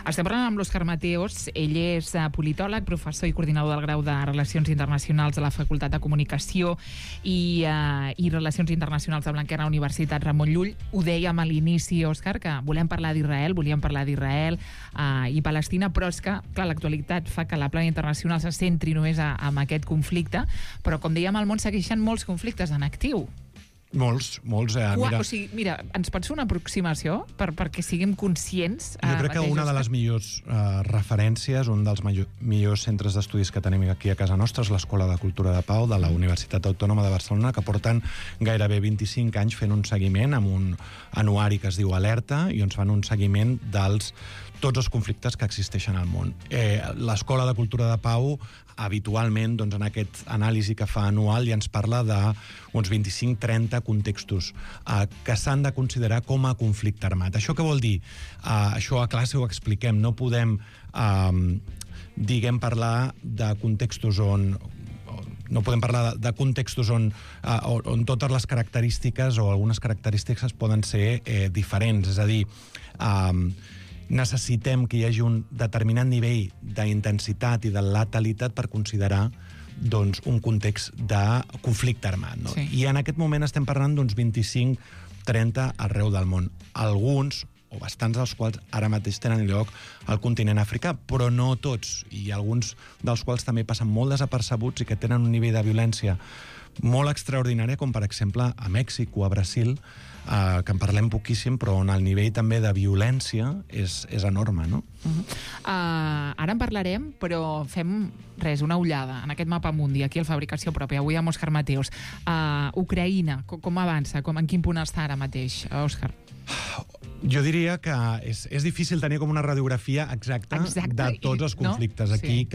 Estem parlant amb l'Òscar Mateos. Ell és politòleg, professor i coordinador del grau de Relacions Internacionals de la Facultat de Comunicació i Relacions Internacionals de Blanquerna, Universitat Ramon Llull. Ho dèiem a l'inici, Òscar, que volem parlar d'Israel, volíem parlar d'Israel i Palestina, però és que, clar, l'actualitat fa que la plana internacional se centri només en aquest conflicte, però, com dèiem, al món segueixen molts conflictes en actiu. Molts. Mira, ens pots fer una aproximació perquè siguem conscients? Jo crec que una de les millors referències, un dels millors centres d'estudis que tenim aquí a casa nostra és l'Escola de Cultura de Pau de la Universitat Autònoma de Barcelona, que porten gairebé 25 anys fent un seguiment amb un anuari que es diu Alerta, i on fan un seguiment tots els conflictes que existeixen al món. L'Escola de Cultura de Pau, habitualment, en aquest anàlisi que fa anual, ja ens parla d'uns 25-30 contextos que s'han de considerar com a conflicte armat. Això què vol dir? Això a classe ho expliquem. No podem, parlar de contextos on on totes les característiques o algunes característiques poden ser diferents. És a dir, necessitem que hi hagi un determinat nivell d'intensitat i de letalitat per considerar doncs, un context de conflicte armat. No? Sí. I en aquest moment estem parlant d'uns 25-30 arreu del món. Alguns, o bastants dels quals ara mateix tenen lloc al continent africà, però no tots, i alguns dels quals també passen molt desapercebuts i que tenen un nivell de violència molt extraordinària, com per exemple a Mèxic o a Brasil, que en parlem poquíssim, però on el nivell també de violència és enorme, no? Ara en parlarem, però fem una ullada en aquest mapa mundi, aquí al Fabricació Pròpia, avui amb Òscar Mateos. Ucraïna, com avança? En quin punt està ara mateix, Òscar? Jo diria que és difícil tenir com una radiografia exacta de tots els conflictes. Aquí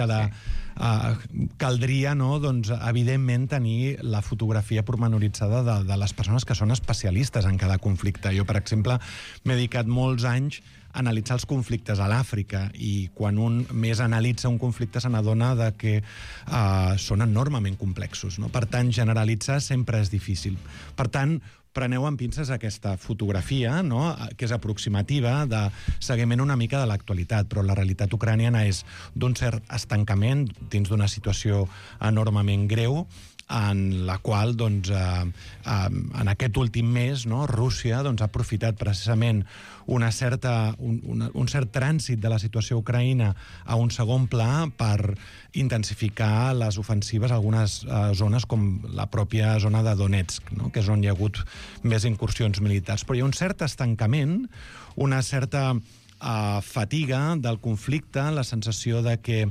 caldria, no, doncs, evidentment, tenir la fotografia pormenoritzada de les persones que són especialistes en cada conflicte. Jo, per exemple, m'he dedicat molts anys a analitzar els conflictes a l'Àfrica, i quan un més analitza un conflicte se n'adona que són enormement complexos, no? Per tant, generalitzar sempre és difícil. Per tant, preneu amb pinces aquesta fotografia, no?, que és aproximativa, de seguiment una mica de l'actualitat, però la realitat ucraniana és d'un cert estancament dins d'una situació enormement greu, en la qual, doncs, en aquest últim mes, no, Rússia ha aprofitat precisament un cert trànsit de la situació a Ucraïna a un segon pla per intensificar les ofensives a algunes zones, com la pròpia zona de Donetsk, no?, que és on hi ha hagut més incursions militars. Però hi ha un cert estancament, una certa fatiga del conflicte, la sensació de que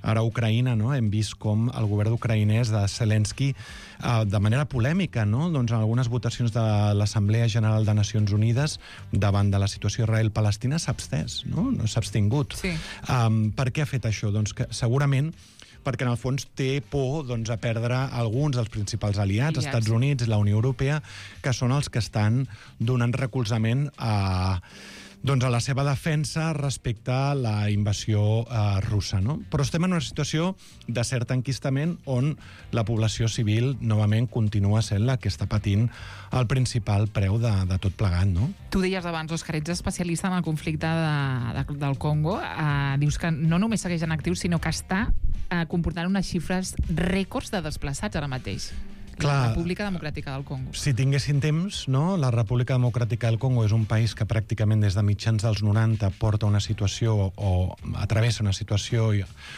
ara a Ucraïna, no, hem vist com el govern ucraïnès de Zelensky, de manera polèmica, no, doncs en algunes votacions de l'Assemblea General de Nacions Unides davant de la situació Israel-Palestina s'ha abstès, no s'ha abstingut. Sí. Per què ha fet això? Doncs que segurament perquè en el fons té por, doncs, a perdre alguns dels principals aliats, Estats Units, la Unió Europea, que són els que estan donant recolzament a la seva defensa respecte a la invasió russa, no? Però estem en una situació de cert enquistament on la població civil novament continua sent la que està patint el principal preu de tot plegat, no? Tu deies abans, Òscar, ets especialista en el conflicte del Congo. Dius que no només segueix en actiu, sinó que està comportant unes xifres rècords de desplaçats ara mateix. La República Democràtica del Congo. Si tinguessin temps, no? La República Democràtica del Congo és un país que pràcticament des de mitjans dels 90 porta una situació o atravessa una situació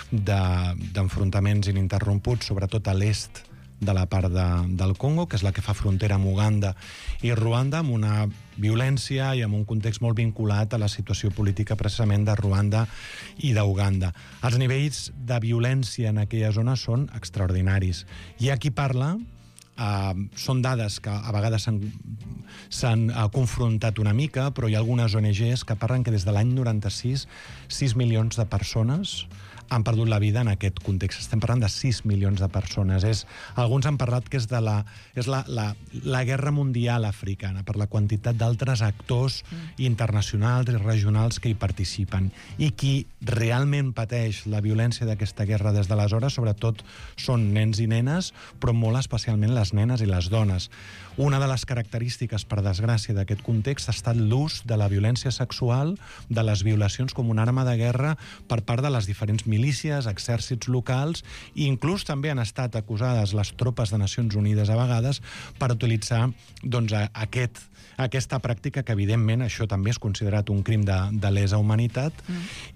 d'enfrontaments ininterromputs, sobretot a l'est de la part del Congo, que és la que fa frontera amb Uganda i Ruanda, amb una violència i amb un context molt vinculat a la situació política precisament de Ruanda i d'Uganda. Els nivells de violència en aquella zona són extraordinaris. Hi ha qui parla, són dades que a vegades s'han confrontat una mica, però hi ha algunes ONGs que parlen que des de l'any 96 6 milions de persones han perdut la vida en aquest context. Estem parlant de 6 milions de persones. Alguns han parlat que és la guerra mundial africana, per la quantitat d'altres actors internacionals i regionals que hi participen. I qui realment pateix la violència d'aquesta guerra des d'aleshores, sobretot, són nens i nenes, però molt especialment les nenes i les dones. Una de les característiques, per desgràcia, d'aquest context ha estat l'ús de la violència sexual, de les violacions com una arma de guerra per part de les diferents milícies, exèrcits locals, i inclús també han estat acusades les tropes de Nacions Unides a vegades per utilitzar aquesta pràctica que, evidentment, això també és considerat un crim de lesa humanitat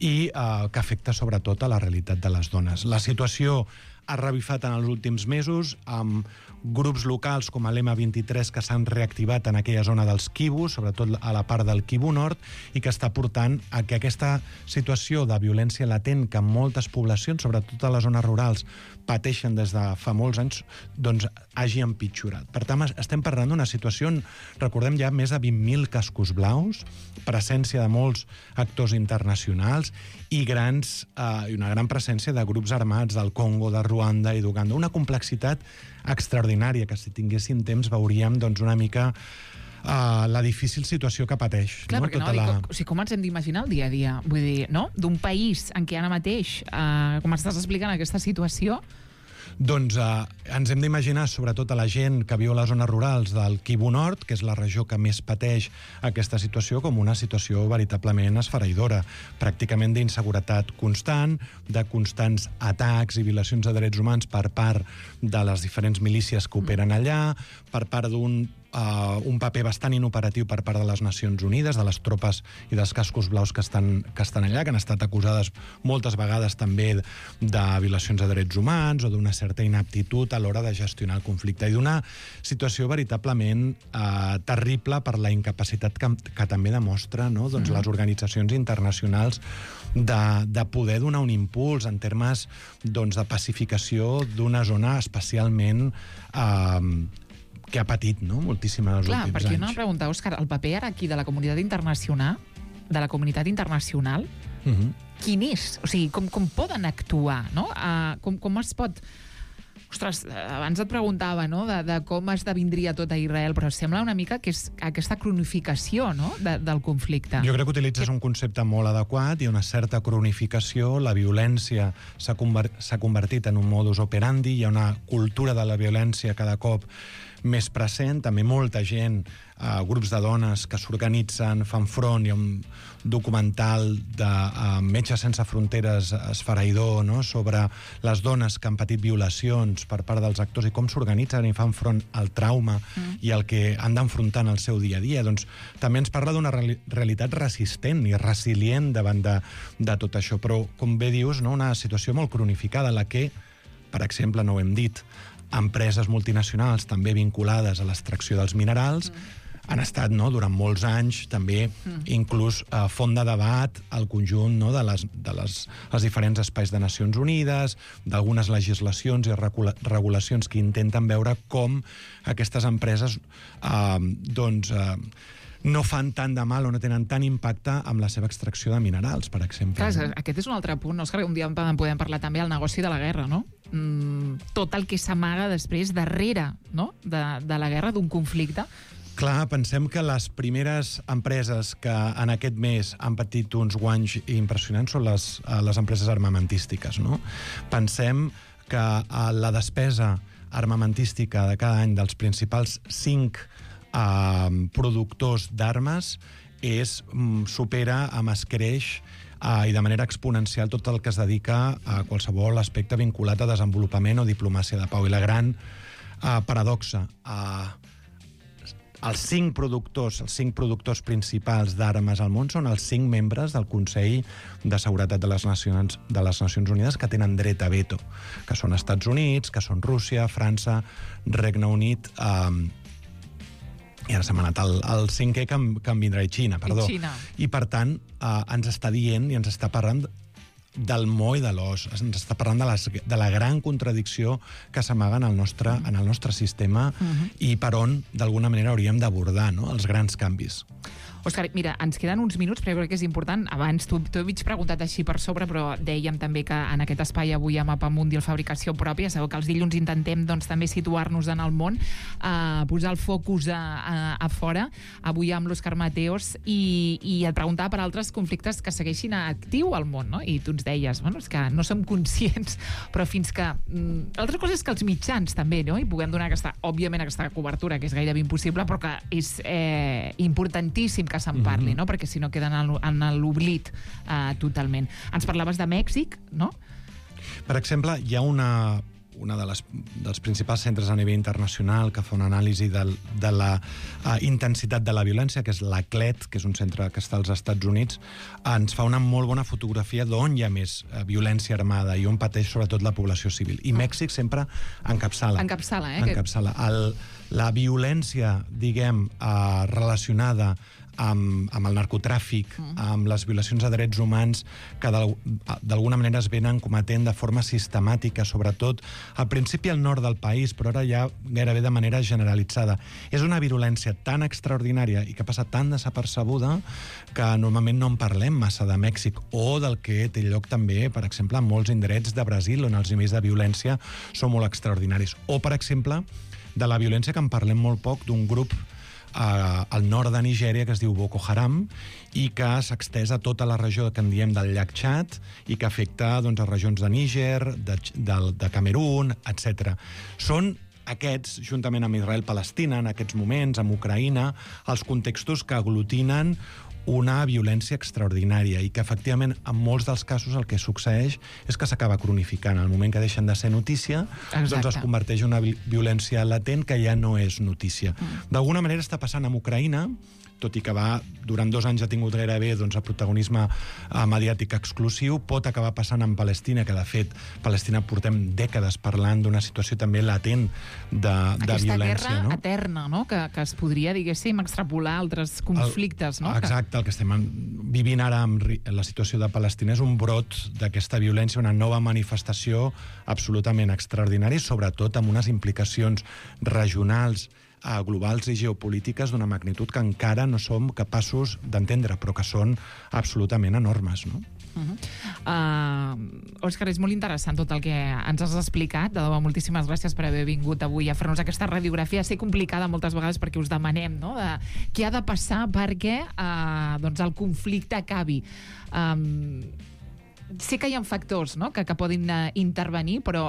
i que afecta sobretot a la realitat de les dones. La situació ha revifat en els últims mesos amb grups locals com l'M23 que s'han reactivat en aquella zona dels Kivu, sobretot a la part del Kivu Nord, i que està portant a que aquesta situació de violència latent que moltes poblacions, sobretot a les zones rurals, pateixen des de fa molts anys, doncs hagi empitjorat. Per tant, estem parlant d'una situació on, recordem, ja més de 20.000 cascos blaus, presència de molts actors internacionals i una gran presència de grups armats del Congo, de Ruanda i d'Uganda. Una complexitat extraordinària que, si tinguéssim temps, veuríem una mica la difícil situació que pateix. Clar, perquè com ens hem d'imaginar el dia a dia? Vull dir, no? D'un país en què ara mateix, com estàs explicant aquesta situació... Doncs ens hem d'imaginar, sobretot a la gent que viu a les zones rurals del Kivu Nord, que és la regió que més pateix aquesta situació, com una situació veritablement esfereïdora, pràcticament d'inseguretat constant, de constants atacs i violacions de drets humans per part de les diferents milícies que operen allà, per part d'un un paper bastant inoperatiu per part de les Nacions Unides, de les tropes i dels cascos blaus que estan allà, que han estat acusades moltes vegades també de violacions de drets humans o d'una certa inaptitud a l'hora de gestionar el conflicte, i d'una situació veritablement terrible per la incapacitat que també demostra, no? Doncs les organitzacions internacionals de poder donar un impuls en termes doncs, de pacificació d'una zona especialment que ha patit, no?, moltíssim en els últims anys. Clar, perquè una pregunta, Òscar, el paper ara aquí de la comunitat internacional, quin és? O sigui, com poden actuar, no? Com es pot... Ostres, abans et preguntava, no?, de com esdevindria tot a Israel, però sembla una mica que és aquesta cronificació, no?, del conflicte. Jo crec que utilitzes un concepte molt adequat i una certa cronificació. La violència s'ha convertit en un modus operandi, hi ha una cultura de la violència cada cop més present, també molta gent, grups de dones que s'organitzen, fan front. Hi ha un documental de Metges Sense Fronteres esfereïdor, no?, sobre les dones que han patit violacions per part dels actors i com s'organitzen i fan front al trauma i al que han d'enfrontar en el seu dia a dia. Doncs també ens parla d'una realitat resistent i resilient davant de tot això, però, com bé dius, no?, una situació molt cronificada, en la que, per exemple, no ho hem dit, empreses multinacionals també vinculades a l'extracció dels minerals han estat, no?, durant molts anys també inclús font de debat al conjunt, no?, de les diferents espais de Nacions Unides, d'algunes legislacions i regulacions que intenten veure com aquestes empreses no fan tant de mal o no tenen tant impacte amb la seva extracció de minerals, per exemple. Clar, aquest és un altre punt, Òscar, un dia en podem parlar també del negoci de la guerra, no? Tot el que s'amaga després, darrere, no?, de la guerra, d'un conflicte. Clar, pensem que les primeres empreses que en aquest mes han patit uns guanys impressionants són les empreses armamentístiques, no? Pensem que la despesa armamentística de cada any dels principals 5 productors d'armes supera amb escreix i de manera exponencial tot el que es dedica a qualsevol aspecte vinculat a desenvolupament o diplomàcia de pau. I la gran paradoxa, els 5 productors principals d'armes al món són els 5 membres del Consell de Seguretat de les Nacions Unides que tenen dret a veto, que són Estats Units, que són Rússia, França, Regne Unit, i ara se m'ha anat el 5è que em vindrà, Xina, perdó. I, per tant, ens està dient i ens està parlant del moll de l'os, ens està parlant de la gran contradicció que s'amaga en el nostre sistema i per on, d'alguna manera, hauríem d'abordar, no?, els grans canvis. Òscar, mira, ens queden uns minuts, però crec que és important. Abans t'ho he preguntat així per sobre, però dèiem també que en aquest espai avui a Mapamundi, el Fabricació Pròpia, sabeu que els dilluns intentem doncs, també situar-nos en el món, posar el focus a fora, avui amb l'Òscar Mateos, i et preguntava per altres conflictes que segueixin actiu al món, no? I tu ens deies, bueno, és que no som conscients, però fins que... Altra cosa és que els mitjans també, no?, i puguem donar òbviament aquesta cobertura, que és gairebé impossible, però que és importantíssim que se'n parli, no?, perquè si no queden en l'oblit totalment. Ens parlaves de Mèxic, no? Per exemple, hi ha dels principals centres a nivell internacional que fa una anàlisi de la intensitat de la violència, que és l'ACLED, que és un centre que està als Estats Units, ens fa una molt bona fotografia d'on hi ha més violència armada i on pateix sobretot la població civil. I Mèxic sempre encapçala. Encapçala. La violència, diguem, relacionada amb el narcotràfic, amb les violacions de drets humans que d'alguna manera es venen cometent de forma sistemàtica, sobretot al principi al nord del país, però ara ja gairebé de manera generalitzada. És una virulència tan extraordinària i que passa tan desapercebuda que normalment no en parlem massa de Mèxic, o del que té lloc també, per exemple, en molts indrets de Brasil, on els nivells de violència són molt extraordinaris. O, per exemple, de la violència que en parlem molt poc d'un grup al nord de Nigèria, que es diu Boko Haram, i que s'ha extès a tota la regió que en diem del llac Txad i que afecta doncs, a regions de Níger, de Camerún, etc. Són aquests, juntament amb Israel-Palestina, en aquests moments, amb Ucraïna, els contextos que aglutinen una violència extraordinària i que, efectivament, en molts dels casos el que succeeix és que s'acaba cronificant. Al moment que deixen de ser notícia, doncs es converteix en una violència latent que ja no és notícia. D'alguna manera està passant amb Ucraïna, tot i que durant 2 anys ha tingut gairebé doncs, el protagonisme mediàtic exclusiu, pot acabar passant amb Palestina, que de fet Palestina portem dècades parlant d'una situació també latent de violència. Aquesta guerra eterna, no? Que es podria, diguéssim, extrapolar a altres conflictes, no? Exacte, el que estem vivint ara amb la situació de Palestina és un brot d'aquesta violència, una nova manifestació absolutament extraordinària, sobretot amb unes implicacions regionals, globals i geopolítiques d'una magnitud que encara no som capaços d'entendre, però que són absolutament enormes, no? Òscar, és molt interessant tot el que ens has explicat. De debò, moltíssimes gràcies per haver vingut avui a fer-nos aquesta radiografia. Sé complicada moltes vegades perquè us demanem, no?, de què ha de passar perquè doncs el conflicte acabi. Sé que hi ha factors, no?, que poden intervenir, però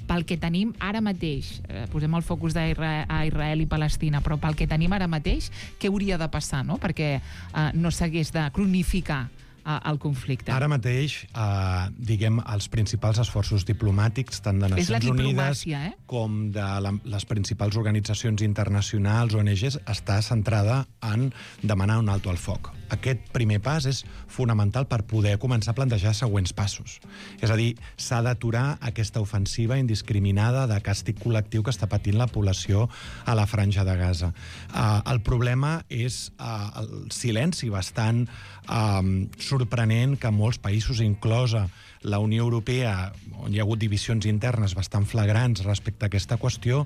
pel que tenim ara mateix, posem el focus a Israel i Palestina, però pel que tenim ara mateix, què hauria de passar, no?, perquè no s'hagués de cronificar el conflicte. Ara mateix, diguem, els principals esforços diplomàtics, tant de Nacions Unides com de les principals organitzacions internacionals, ONGs, està centrada en demanar un alto al foc. Aquest primer pas és fonamental per poder començar a plantejar següents passos. És a dir, s'ha d'aturar aquesta ofensiva indiscriminada de càstig col·lectiu que està patint la població a la Franja de Gaza. El problema és el silenci bastant sorprenent que molts països, inclosa la Unió Europea, on hi ha hagut divisions internes bastant flagrants respecte a aquesta qüestió,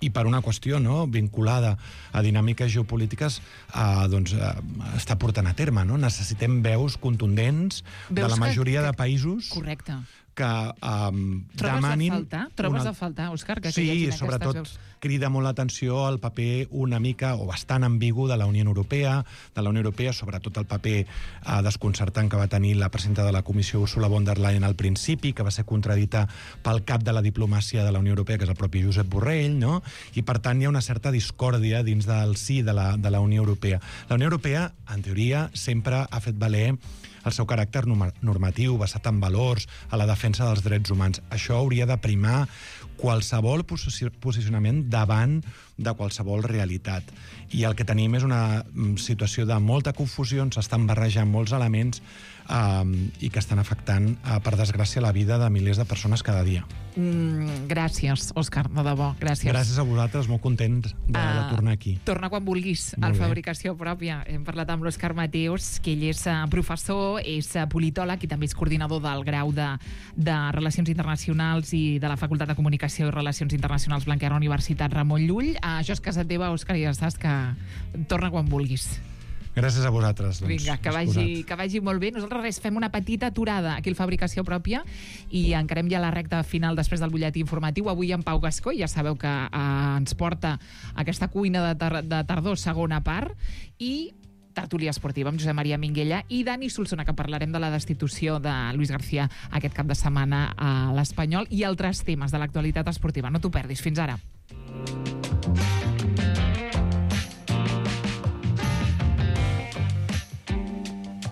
i per una qüestió vinculada a dinàmiques geopolítiques, està portant a terme. Necessitem veus contundents de la majoria de països. Correcte. Que demanin... Trobes a faltar, Òscar, que hi hagin aquestes veus? Sí, sobretot crida molt l'atenció el paper una mica o bastant ambigu de la Unió Europea, sobretot el paper desconcertant que va tenir la presidenta de la Comissió, Ursula von der Leyen, al principi, que va ser contradita pel cap de la diplomàcia de la Unió Europea, que és el propi Josep Borrell, no? I, per tant, hi ha una certa discòrdia dins del si de la Unió Europea. La Unió Europea, en teoria, sempre ha fet valer el seu caràcter normatiu, basat en valors, a la defensa dels drets humans. Això hauria de primar qualsevol posicionament davant de qualsevol realitat. I el que tenim és una situació de molta confusió, on s'estan barrejant molts elements i que estan afectant, per desgràcia, la vida de milers de persones cada dia. Gràcies, Òscar, de debò, gràcies. Gràcies a vosaltres, molt content de tornar aquí. Torna quan vulguis, al Fabricació Pròpia. Hem parlat amb l'Òscar Mateos, que ell és professor, és politòleg i també és coordinador del grau de Relacions Internacionals i de la Facultat de Comunicació i Relacions Internacionals Blanquerna, Universitat Ramon Llull. Això és casa teva, Òscar, i ja saps que torna quan vulguis. Gràcies a vosaltres. Vinga, que vagi molt bé. Nosaltres fem una petita aturada aquí al Fabricació Pròpia i encarem ja la recta final després del butlletí informatiu. Avui en Pau Gascó, ja sabeu que ens porta aquesta cuina de tardor, segona part, i tertúlia esportiva amb Josep Maria Minguella i Dani Solsona, que parlarem de la destitució de Luis García aquest cap de setmana a l'Espanyol i altres temes de l'actualitat esportiva. No t'ho perdis. Fins ara.